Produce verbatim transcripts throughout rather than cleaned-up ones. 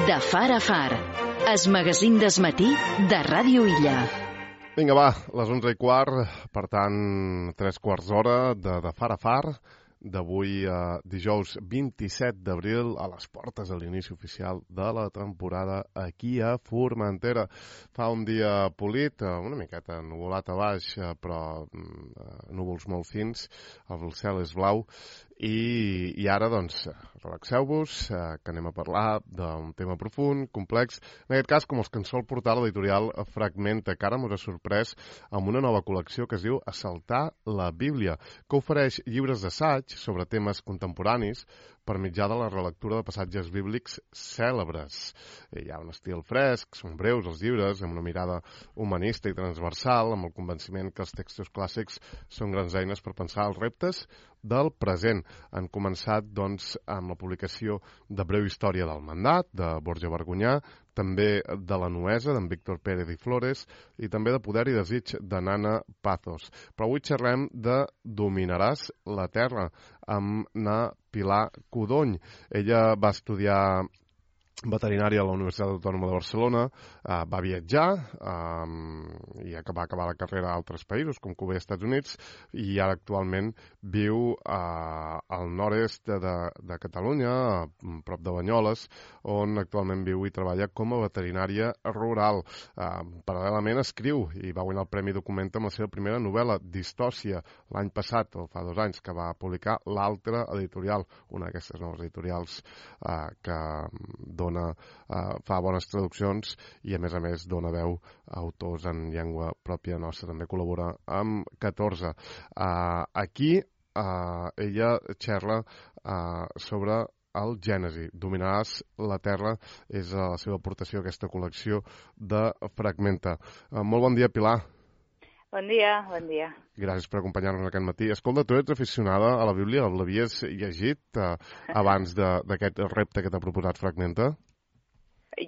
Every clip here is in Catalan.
De far a far, es magazín d'esmatí de Ràdio Illa. Vinga, va, les onze i quart, per tant, tres quarts d'hora de, de far a far, d'avui eh, dijous vint-i-set d'abril, a les portes de l'inici oficial de la temporada aquí a Formentera. Fa un dia polit, eh, una miqueta nuvolat a baix, eh, però eh, núvols molt fins, el cel és blau, i, i ara, doncs, relaxeu-vos, eh, que anem a parlar d'un tema profund, complex, en aquest cas, com els que ens sol portar l'editorial Fragmenta, que ara m'ho ha sorprès amb una nova col·lecció que es diu Assaltar la Bíblia, que ofereix llibres d'assaig sobre temes contemporanis per mitjà de la relectura de passatges bíblics cèlebres. Hi ha un estil fresc, són breus els llibres, amb una mirada humanista i transversal, amb el convenciment que els textos clàssics són grans eines per pensar els reptes del present. Han començat, doncs, amb la publicació de Breu història del mandat, de Borja Vergonyà, també de La nuesa, d'en Víctor Pérez i Flores, i també de Poder i desig, de Nana Pazos. Però avui xerrem de Dominaràs la terra, amb na Pilar Codony. Ella va estudiar veterinària a la Universitat Autònoma de Barcelona, eh, va viatjar eh, i va acabar la carrera a altres països, com Cuba i Estats Units, i ara actualment viu eh, al nord-est de, de, de Catalunya, a prop de Banyoles, on actualment viu i treballa com a veterinària rural. Eh, paral·lelament escriu i va guanyar el Premi Documenta amb la seva primera novel·la, Distòcia, l'any passat, o fa dos anys, que va publicar l'Altra Editorial, una d'aquestes noves editorials eh, que dona Dona, uh, fa bones traduccions i, a més a més, dona veu a autors en llengua pròpia nostra. També col·labora amb catorze. Uh, aquí uh, ella xerra uh, sobre el Gènesi. Dominaràs la terra és uh, la seva aportació a aquesta col·lecció de Fragmenta. Uh, molt bon dia, Pilar. Bon dia, bon dia. Gràcies per acompanyar-nos aquest matí. Escolta, tu ets aficionada a la Bíblia? L'havies llegit eh, abans d'aquest repte que t'ha proposat Fragmenta?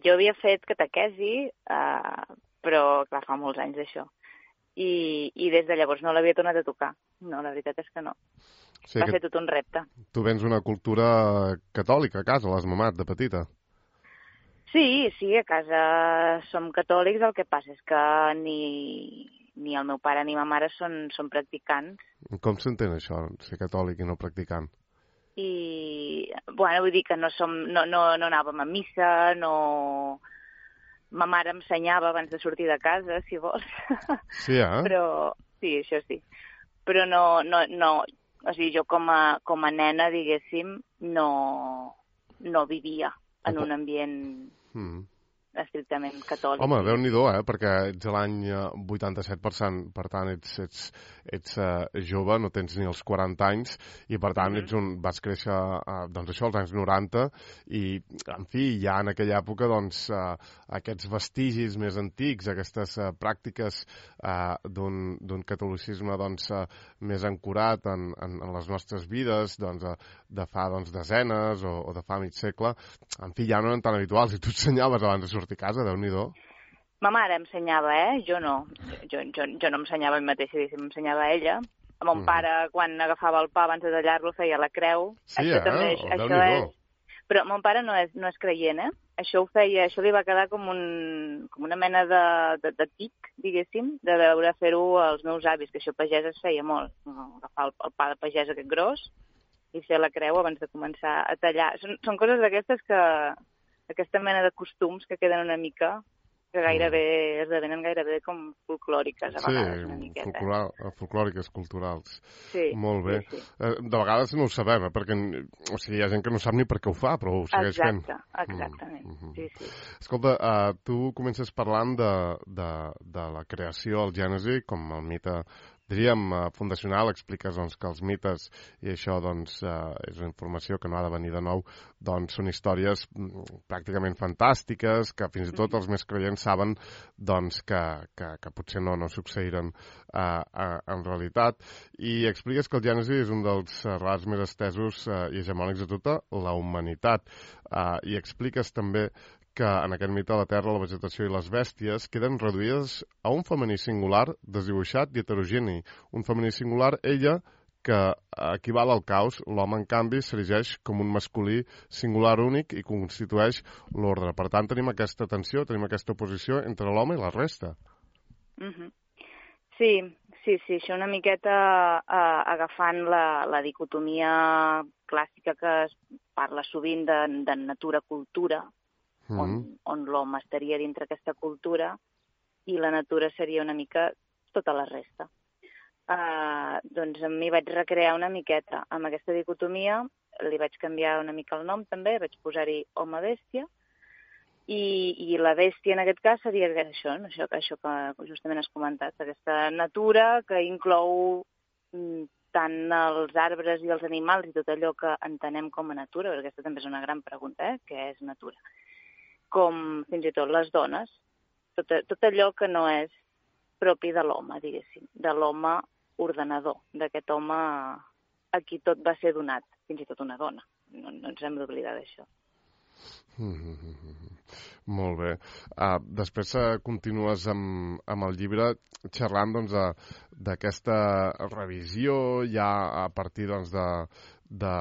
Jo havia fet catequesi, eh, però, clar, fa molts anys d'això. I, I des de llavors no l'havia tornat a tocar. No, la veritat és que no. Sí, Va que ser tot un repte. Tu vens una cultura catòlica a casa, l'has mamat de petita? Sí, sí, a casa som catòlics, el que passa és que ni... ni el meu pare ni ma mare són, són practicants. Com s'entén això, ser catòlic i no practicant? I, bueno, vull dir que no, som, no, no, no anàvem a missa, no... Ma mare ensenyava abans de sortir de casa, si vols. Sí, eh? Però, sí, això sí. Però no, no, no... O sigui, jo com a, com a nena, diguéssim, no, no vivia en un ambient... Mm. estrictament catòlic. Home, Déu-n'hi-do, eh? Perquè ets a l'any vuitanta-set, per tant, per tant ets, ets, ets uh, jove, no tens ni els quaranta anys, i per tant mm-hmm. ets un, vas créixer uh, doncs això, als anys noranta, i, en fi, ja en aquella època, doncs, uh, aquests vestigis més antics, aquestes uh, pràctiques uh, d'un catolicisme, doncs, uh, més ancorat en, en, en les nostres vides, doncs, uh, de fa, doncs, desenes o, o de fa mig segle, en fi, ja no eren tan habituals, i tu ensenyaves abans de sortir a casa, Déu-n'hi-do. Ma mare ensenyava, eh? Jo no. Jo, jo, jo no ensenyava a mi mateixa, diguéssim, ensenyava a ella. A mon mm. pare, quan agafava el pa abans de tallar-lo, feia la creu. Sí, això eh? També, Oh, això és... Però mon pare no és, no és creient, eh? Això ho feia, això li va quedar com, un, com una mena de, de, de tic, diguéssim, de veure fer-ho als meus avis, que això pagès es feia molt. Agafar el, el pa de pagès aquest gros i fer la creu abans de començar a tallar. Són, són coses d'aquestes que... aquesta mena de costums que queden una mica, que gairebé esdevenen gairebé com folclòriques, a vegades, sí, una miqueta. Sí, folclòriques, culturals. Sí, molt bé. Sí, sí. De vegades no ho sabem, eh, perquè o sigui, hi ha gent que no sap ni per què ho fa, però ho segueix Exacte, fent. exactament, mm -hmm. sí, sí. Escolta, uh, tu comences parlant de, de, de la creació, el Gènesi, com el mite, diríem, uh, fundacional, expliques doncs, que els mites, i això doncs, uh, és una informació que no ha de venir de nou, doncs són històries mm, pràcticament fantàstiques, que fins i tot els més creients saben doncs, que, que, que potser no, no succeiran uh, uh, en realitat. I expliques que el Gènesi és un dels uh, relats més estesos uh, i hegemònics de tota la humanitat. Uh, I expliques també que en aquest mite la terra, la vegetació i les bèsties queden reduïdes a un femení singular, desdibuixat i heterogeni. Un femení singular, ella, que equival al caos, l'home, en canvi, s'erigeix com un masculí singular únic i constitueix l'ordre. Per tant, tenim aquesta tensió, tenim aquesta oposició entre l'home i la resta. Mm-hmm. Sí, sí, sí, això una miqueta eh, agafant la, la dicotomia clàssica que es parla sovint de, de natura-cultura, mm-hmm. on, on l'home estaria dintre aquesta cultura i la natura seria una mica tota la resta. Uh, doncs m'hi vaig recrear una miqueta amb aquesta dicotomia, li vaig canviar una mica el nom també, vaig posar-hi home-bèstia, i, i la bèstia en aquest cas seria això, no? això, això que justament has comentat, aquesta natura que inclou mm, tant els arbres i els animals i tot allò que entenem com a natura, perquè aquesta també és una gran pregunta, eh? Què és natura? Com fins i tot les dones, tot, tot allò que no és propi de l'home, diguéssim, de l'home ordenador, d'aquest home a qui tot va ser donat, fins i tot una dona. No, no ens hem d'oblidar d'això. Mm-hmm. Molt bé. Uh, després uh, continues amb, amb el llibre xerrant doncs, d'aquesta revisió ja a partir doncs, de, de,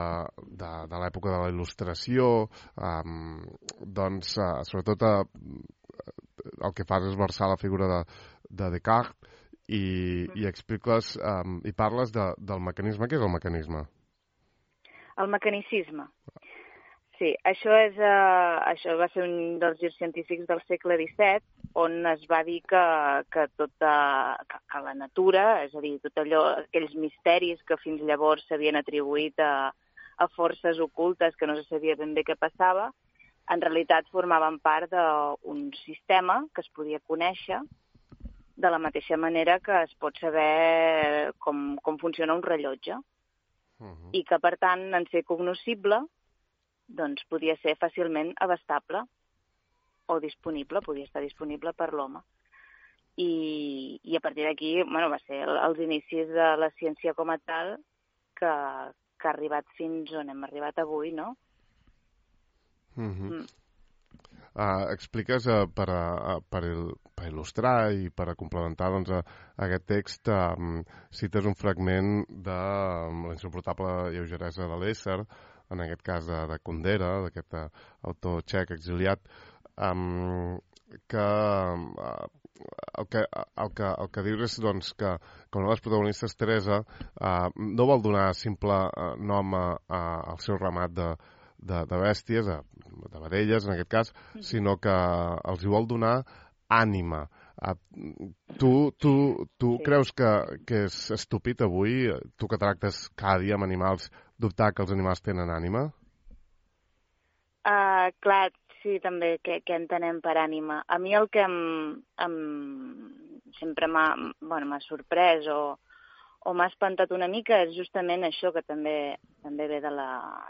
de, de l'època de la il·lustració, um, doncs, uh, sobretot uh, el que fas és versar la figura de, de Descartes i, i expliques um, i parles de, del mecanisme. Què és el mecanisme? El mecanicisme. Sí, això, és, uh, això va ser un dels girs científics del segle disset, on es va dir que, que, tota, que, que la natura, és a dir, tot allò, aquells misteris que fins llavors s'havien atribuït a, a forces ocultes que no se sabia ben bé què passava, en realitat formaven part d'un sistema que es podia conèixer de la mateixa manera que es pot saber com, com funciona un rellotge. Uh-huh. I que, per tant, en ser cognoscible, doncs podia ser fàcilment abastable o disponible, podia estar disponible per l'home. I, i a partir d'aquí, bueno, va ser els inicis de la ciència com a tal que, que ha arribat fins on hem arribat avui, no? Uh-huh. Mm. Uh, expliques uh, per, uh, per, il, per il·lustrar i per a complementar doncs, uh, aquest text, uh, cites un fragment de uh, La insuportable lleugeresa de l'ésser, en aquest cas de, de Kundera, d'aquest uh, autor txec exiliat, um, que, uh, el, que, el, que, el que dius és doncs, que, que una de les protagonistes, Teresa, uh, no vol donar simple uh, nom a, a, al seu ramat de De, de bèsties, de, de vedelles en aquest cas, mm-hmm. sinó que els hi vol donar ànima. Uh, tu tu, tu sí. creus que, que és estúpid avui, tu que tractes cada dia amb animals, dubtar que els animals tenen ànima? Uh, clar, sí, també, què, què entenem per ànima. A mi el que em, em, sempre m'ha bueno, sorprès o o m'ha espantat una mica és justament això que també també ve de, la,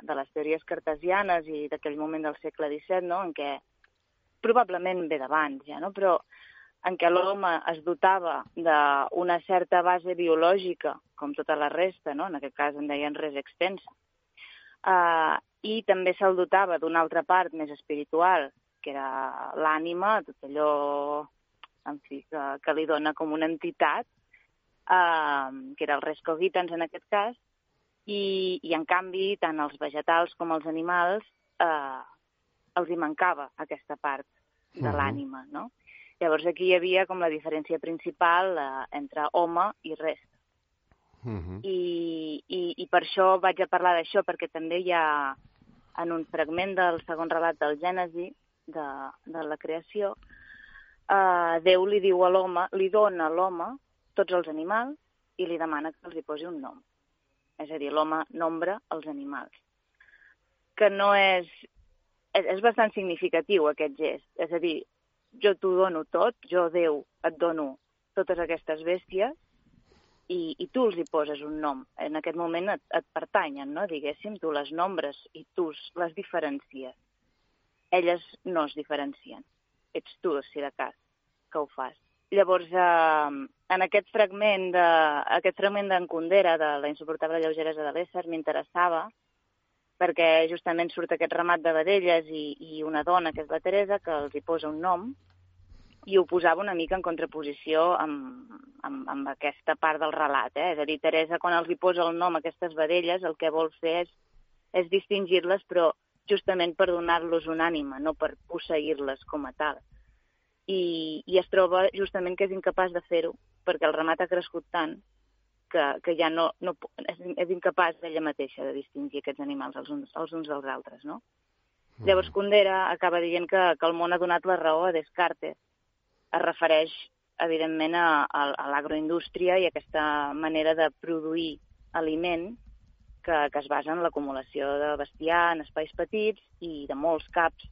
de les teories cartesianes i d'aquell moment del segle disset, no? En què probablement ve d'abans ja, no? Però en què l'home es dotava d'una certa base biològica, com tota la resta, no? En aquest cas en deien res extensa, uh, i també se'l dotava d'una altra part més espiritual, que era l'ànima, tot allò en fi, que, que li dona com una entitat, Uh, que era el res cogitans en aquest cas, i, i en canvi tant els vegetals com els animals uh, els hi mancava aquesta part de uh-huh. l'ànima, no? Llavors aquí hi havia com la diferència principal uh, entre home i res. Uh-huh. I, i, I per això vaig a parlar d'això, perquè també hi ha en un fragment del segon relat del Gènesi, de, de la creació, uh, Déu li diu a l'home, li dona a l'home tots els animals i li demana que els hi posi un nom. És a dir, l'home nombra els animals. Que no és... És, és bastant significatiu aquest gest. És a dir, jo t'ho dono tot, jo, Déu, et dono totes aquestes bèsties i, i tu els hi poses un nom. En aquest moment et, et pertanyen, no? Diguéssim, tu les nombres i tu les diferencies. Elles no es diferencien. Ets tu, si de cas, que ho fas. Llavors, eh, en aquest fragment de, aquest fragment d'en Kundera, de La insuportable lleugeresa de l'ésser, m'interessava perquè justament surt aquest ramat de vedelles i, i una dona, que és la Teresa, que els hi posa un nom i ho posava una mica en contraposició amb, amb, amb aquesta part del relat. Eh? És a dir, Teresa, quan els hi posa el nom a aquestes vedelles, el que vol fer és, és distingir-les, però justament per donar-los un ànima, no per posseir-les com a tal. I, i es troba justament que és incapaç de fer-ho, perquè el ramat ha crescut tant que, que ja no, no és, és incapaç d'ella mateixa de distingir aquests animals els uns, els uns dels altres, no? Mm. Llavors Kundera acaba dient que, que el món ha donat la raó a Descartes. Es refereix, evidentment, a, a, a l'agroindústria i a aquesta manera de produir aliment que, que es basa en l'acumulació de bestiar en espais petits i de molts caps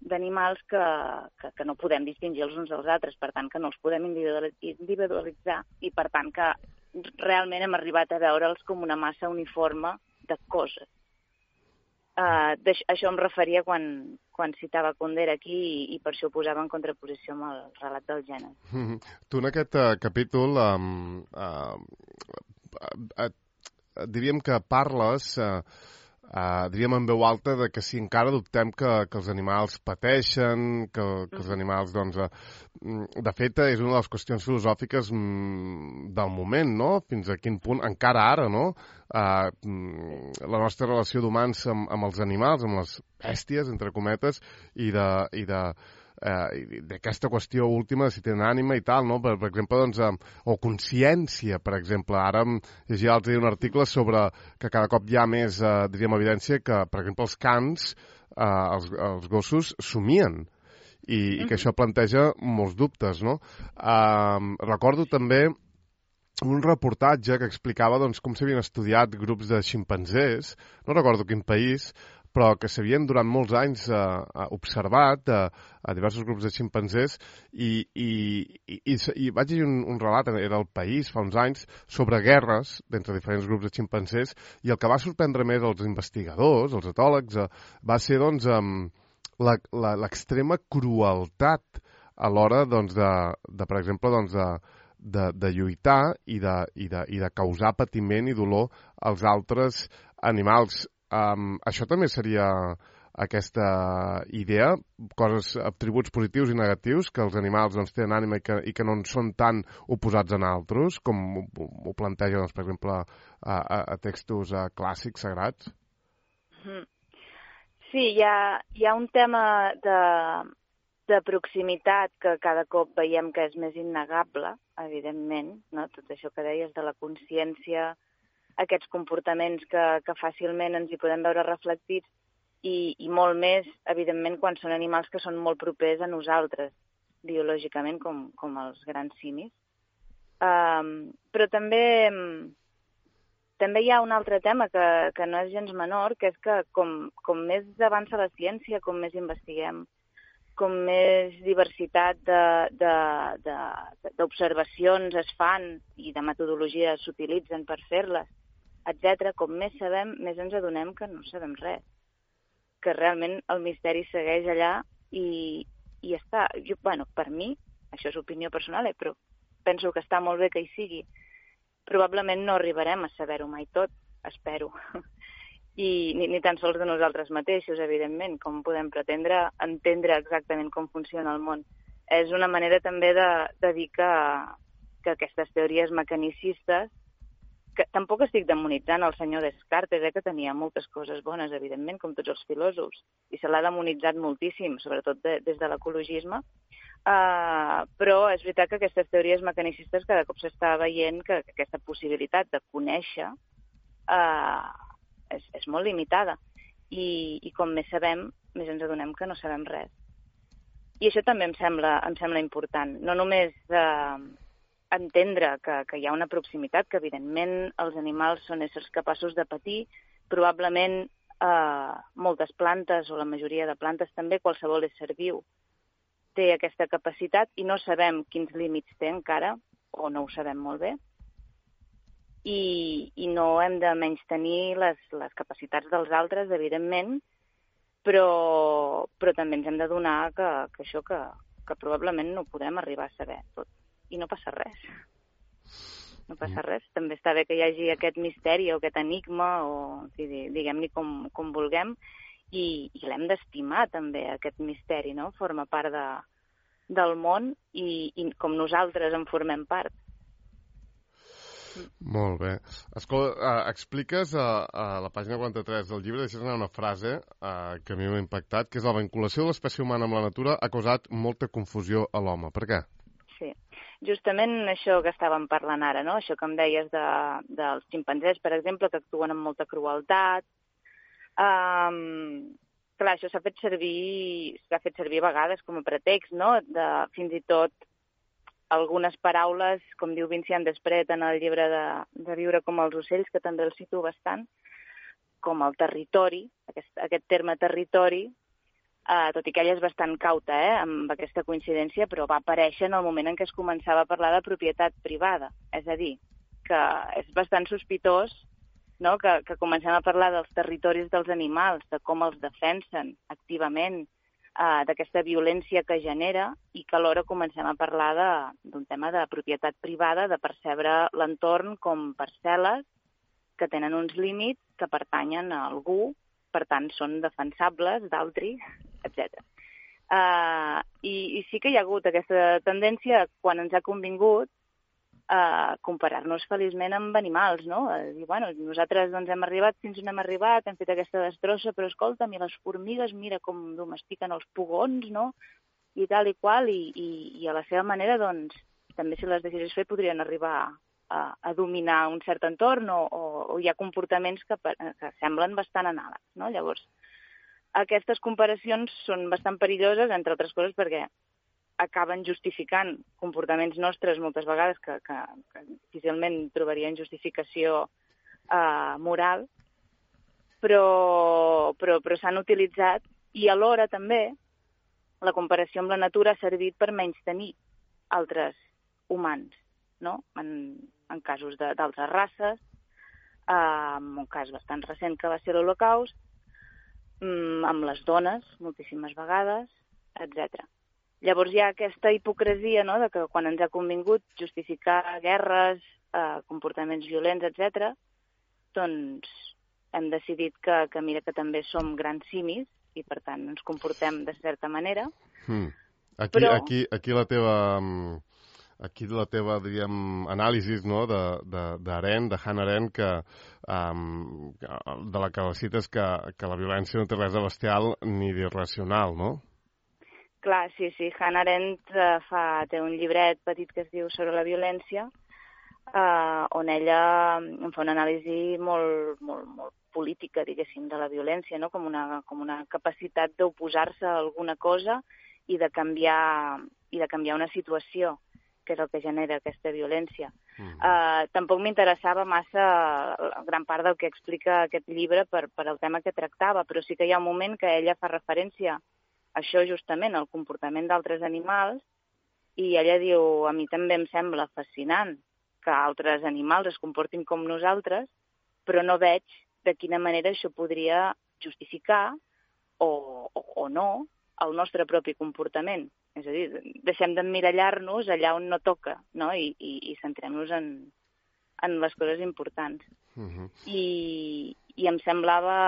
d'animals que, que, que no podem distingir els uns dels altres, per tant que no els podem individualitzar i per tant que realment hem arribat a veure'ls com una massa uniforme de coses. Uh, això em referia quan, quan citava Kundera aquí i, i per això ho posava en contraposició amb el relat del gènere. Mm-hmm. Tu en aquest uh, capítol um, uh, uh, uh, diríem que parles uh, Uh, diríem en veu alta de que si encara dubtem que, que els animals pateixen, que, que els animals, doncs, uh, de fet, és una de les qüestions filosòfiques mm, del moment, no? Fins a quin punt, encara ara, no? Uh, la nostra relació d'humans amb, amb els animals, amb les bèsties, entre cometes, i de... I de Eh, d'aquesta qüestió última de si tenen ànima i tal, no? Per, per exemple, doncs, eh, o consciència, per exemple. Ara em llegia l'altre dia un article sobre que cada cop hi ha més, eh, diríem, evidència que, per exemple, els cans, eh, els, els gossos, somien. I, mm-hmm. i que això planteja molts dubtes, no? Eh, recordo també un reportatge que explicava doncs, com s'havien estudiat grups de ximpanzés, no recordo quin país, però que s'havien durant molts anys eh, observat eh, a diversos grups de ximpanzés i, i, i, i, i vaig llegir un, un relat, era El País, fa uns anys, sobre guerres d'entre diferents grups de ximpanzés i el que va sorprendre més als investigadors, als etòlegs, eh, va ser doncs, eh, l'extrema crueltat a l'hora doncs, de, de, per exemple, doncs, de, de, de lluitar i de, i, de, i de causar patiment i dolor als altres animals. Um, això també seria aquesta idea, coses, atributs positius i negatius, que els animals doncs, tenen ànima i que, i que no són tan oposats a altres, com ho, ho planteja, doncs, per exemple, a, a, a textos a, clàssics, sagrats? Sí, hi ha, hi ha un tema de, de proximitat que cada cop veiem que és més innegable, evidentment, no? Tot això que deies de la consciència, aquests comportaments que, que fàcilment ens hi podem veure reflectits i, i molt més, evidentment, quan són animals que són molt propers a nosaltres, biològicament, com, com els grans simis. Um, però també, també hi ha un altre tema que, que no és gens menor, que és que com, com més avança la ciència, com més investiguem, com més diversitat d'observacions es fan i de metodologies s'utilitzen per fer-les, etcètera, com més sabem, més ens adonem que no sabem res. Que realment el misteri segueix allà i, i està... Jo, bueno, per mi, això és opinió personal, eh, però penso que està molt bé que hi sigui. Probablement no arribarem a saber-ho mai tot, espero. I ni, ni tan sols de nosaltres mateixos, evidentment, com podem pretendre entendre exactament com funciona el món. És una manera també de, de dir que, que aquestes teories mecanicistes, que tampoc estic demonitzant el senyor Descartes, eh, que tenia moltes coses bones, evidentment, com tots els filòsofs, i se l'ha demonitzat moltíssim, sobretot de, des de l'ecologisme, uh, però és veritat que aquestes teories mecanicistes cada cop s'està veient que, que aquesta possibilitat de conèixer uh, és, és molt limitada, I, i com més sabem, més ens adonem que no sabem res. I això també em sembla, em sembla important, no només uh, entendre que, que hi ha una proximitat, que evidentment els animals són éssers capaços de patir, probablement eh, moltes plantes, o la majoria de plantes també, qualsevol ésser viu té aquesta capacitat i no sabem quins límits té encara, o no ho sabem molt bé, i, i no hem de menystenir les, les capacitats dels altres, evidentment, però, però també ens hem de donar que, que això que, que probablement no podem arribar a saber tot. I no passa res. No passa res. També està bé que hi hagi aquest misteri o aquest enigma, o diguem-ne com, com vulguem, i, i l'hem d'estimar també, aquest misteri, no? Forma part de, del món i, i com nosaltres en formem part. Molt bé. Escolta, uh, expliques a, a la pàgina quaranta-tres del llibre, deixes anar una frase uh, que a mi m'ha impactat, que és la vinculació de l'espècie humana amb la natura ha causat molta confusió a l'home. Per què? Sí, justament això que estàvem parlant ara, no? Això que em deies de, dels ximpanzés, per exemple, que actuen amb molta crueltat. Um, clar, això s'ha fet servir s'ha fet servir a vegades com a pretext, no? De, fins i tot algunes paraules, com diu Vincent Despret en el llibre de, de Viure com els ocells, que també el cito bastant, com el territori, aquest, aquest terme territori, eh, tot i que ella és bastant cauta eh, amb aquesta coincidència, però va aparèixer en el moment en què es començava a parlar de propietat privada. És a dir, que és bastant sospitós, no?, que, que comencem a parlar dels territoris dels animals, de com els defensen activament, Uh, d'aquesta violència que genera i que alhora comencem a parlar d'un tema de propietat privada, de percebre l'entorn com parcel·les que tenen uns límits que pertanyen a algú, per tant són defensables d'altri, etcètera. Uh, i, I sí que hi ha hagut aquesta tendència, quan ens ha convingut, a comparar-nos feliçment amb animals, no? A dir, bueno, nosaltres doncs, hem arribat fins on hem arribat, hem fet aquesta destrossa, però escolta'm, i les formigues, mira com domestiquen els pugons, no? I tal i qual, i, i, i a la seva manera, doncs, també si les deixessis fer podrien arribar a, a dominar un cert entorn o, o, o hi ha comportaments que, que semblen bastant anàlegs, no? Llavors, aquestes comparacions són bastant perilloses, entre altres coses, perquè acaben justificant comportaments nostres moltes vegades que, que, que difícilment trobarien justificació eh, moral, però, però, però s'han utilitzat i alhora també la comparació amb la natura ha servit per menystenir altres humans, no? En, en casos d'altres races, eh, en un cas bastant recent que va ser l'Holocaust, amb les dones moltíssimes vegades, etcètera. Llavors hi ha aquesta hipocresia, no?, de que quan ens ha convingut justificar guerres, eh, comportaments violents, etcètera, doncs hem decidit que, que mira que també som grans simis i per tant ens comportem de certa manera. Hmm. Aquí, Però... aquí, aquí la teva, aquí la teva diríem, anàlisi, no?, d'Arendt, de, de Hannah Arendt, que, um, de la que la cites que, que la violència no té res de bestial ni d'irracional, no? Clar, sí, sí. Hannah Arendt uh, fa, té un llibret petit que es diu Sobre la violència, uh, on ella en fa una anàlisi molt, molt, molt política, diguéssim, de la violència, no? Com una, com una capacitat d'oposar-se a alguna cosa i de canviar, i de canviar una situació, que és el que genera aquesta violència. Mm. Uh, tampoc m'interessava massa gran part del que explica aquest llibre per, per el tema que tractava, però sí que hi ha un moment que ella fa referència això justament, el comportament d'altres animals, i ella diu, a mi també em sembla fascinant que altres animals es comportin com nosaltres, però no veig de quina manera això podria justificar o, o, o no el nostre propi comportament. És a dir, deixem d'emmirallar-nos allà on no toca, no? I, i, i centrem-nos en, en les coses importants. Uh-huh. I, I em semblava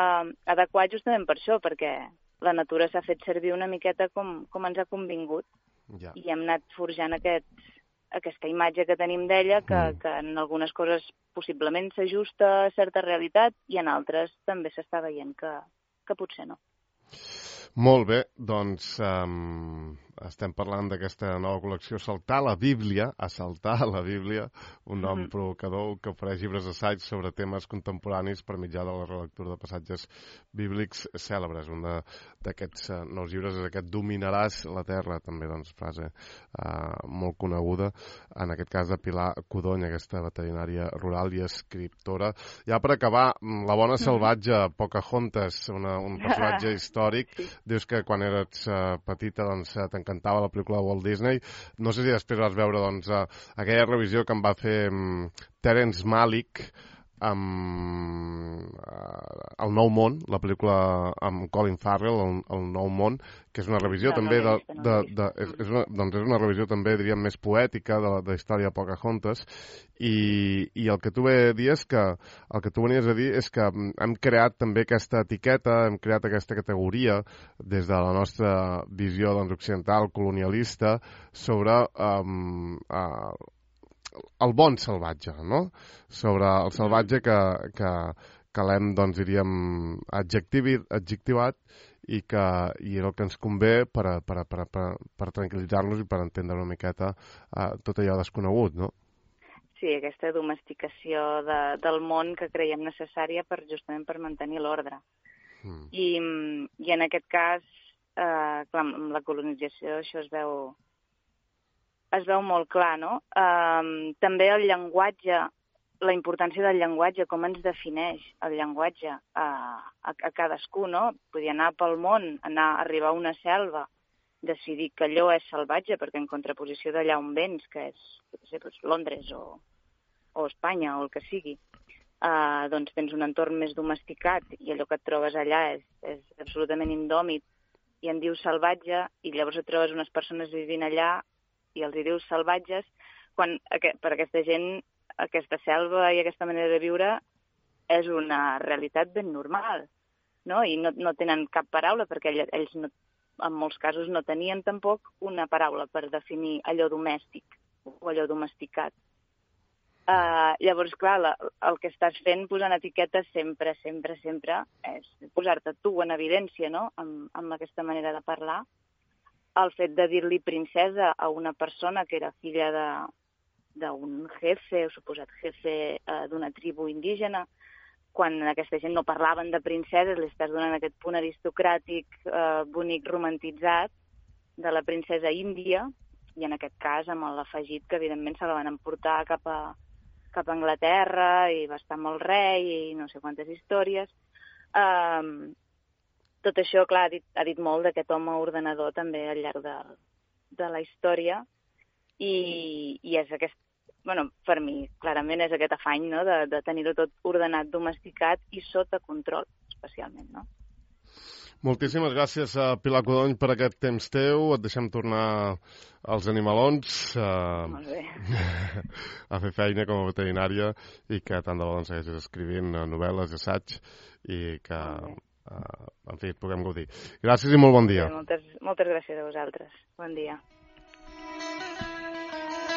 adequat justament per això, perquè la natura s'ha fet servir una miqueta com, com ens ha convingut. Ja. I hem anat forjant aquest, aquesta imatge que tenim d'ella, que, mm. que en algunes coses possiblement s'ajusta a certa realitat i en altres també s'està veient que, que potser no. Molt bé, doncs um, estem parlant d'aquesta nova col·lecció Saltar la Bíblia, Assaltar la Bíblia, un nom mm-hmm. provocador que ofereix llibres d'assaig sobre temes contemporanis per mitjà de la relectura de passatges bíblics cèlebres. Un d'aquests uh, nous llibres és aquest Dominaràs la terra, també doncs frase uh, molt coneguda, en aquest cas de Pilar Codony, aquesta veterinària rural i escriptora. Ja per acabar, la bona salvatge Pocahontas, una, un personatge històric, sí. Dius que quan eres uh, petita doncs, t'encantava la pel·lícula de Walt Disney. No sé si després vas veure doncs, uh, aquella revisió que em va fer um, Terence Malick amb uh, El nou món, la pel·lícula amb Colin Farrell, El, el nou món, que és una revisió no, també no de, vist, de, no de, és, és una, doncs és una revisió també, diríem, més poètica de, de la història de Pocahontas, i, i el que tu ve a dir és que el que tu venies a dir és que hem creat també aquesta etiqueta, hem creat aquesta categoria des de la nostra visió doncs, occidental, colonialista, sobre um, uh, el bon salvatge, no? Sobre el salvatge que, que, que l'hem, doncs, diríem, adjectivi, adjectivat i que i era el que ens convé per, a, per, a, per, a, per, per tranquil·litzar-nos i per entendre una miqueta uh, tot allò desconegut, no? Sí, aquesta domesticació de, del món que creiem necessària per justament per mantenir l'ordre. Mm. I, I en aquest cas, eh, clar, amb la colonització això es veu es veu molt clar, no? Um, també el llenguatge, la importància del llenguatge, com ens defineix el llenguatge a, a, a cadascú, no? Podia anar pel món, anar a arribar a una selva, decidir que allò és salvatge, perquè en contraposició d'allà on vens, que és no sé, doncs Londres o, o Espanya o el que sigui, uh, doncs tens un entorn més domesticat i allò que et trobes allà és, és absolutament indòmit i en dius salvatge i llavors et trobes unes persones vivint allà i els hi dius salvatges, quan per aquesta gent aquesta selva i aquesta manera de viure és una realitat ben normal, no? I no, no tenen cap paraula, perquè ells no, en molts casos no tenien tampoc una paraula per definir allò domèstic o allò domesticat. Uh, llavors, clar, la, el que estàs fent posant etiquetes sempre, sempre, sempre és posar-te tu en evidència, no?, amb, amb aquesta manera de parlar. El fet de dir-li princesa a una persona que era filla d'un jefe, o suposat jefe eh, d'una tribu indígena, quan aquesta gent no parlaven de princeses, li estàs donant aquest punt aristocràtic, eh, bonic, romantitzat de la princesa índia, i en aquest cas amb l'afegit que evidentment se la van emportar cap a, cap a Anglaterra i va estar amb el rei i no sé quantes històries. Eh, Tot això, clar, ha dit, ha dit molt d'aquest home ordenador també al llarg de, de la història i, i és aquest, bueno, per mi, clarament és aquest afany, no?, de, de tenir-ho tot ordenat, domesticat i sota control, especialment, no? Moltíssimes gràcies, Pilar Codony, per aquest temps teu. Et deixem tornar als animalons uh, Molt bé. a fer feina com a veterinària i que tant de bo doncs, segueixis escrivint novel·les i assaig i que... Uh, en fi, et puguem gaudir. Gràcies i molt bon dia. Sí, moltes, moltes gràcies a vosaltres. Bon dia.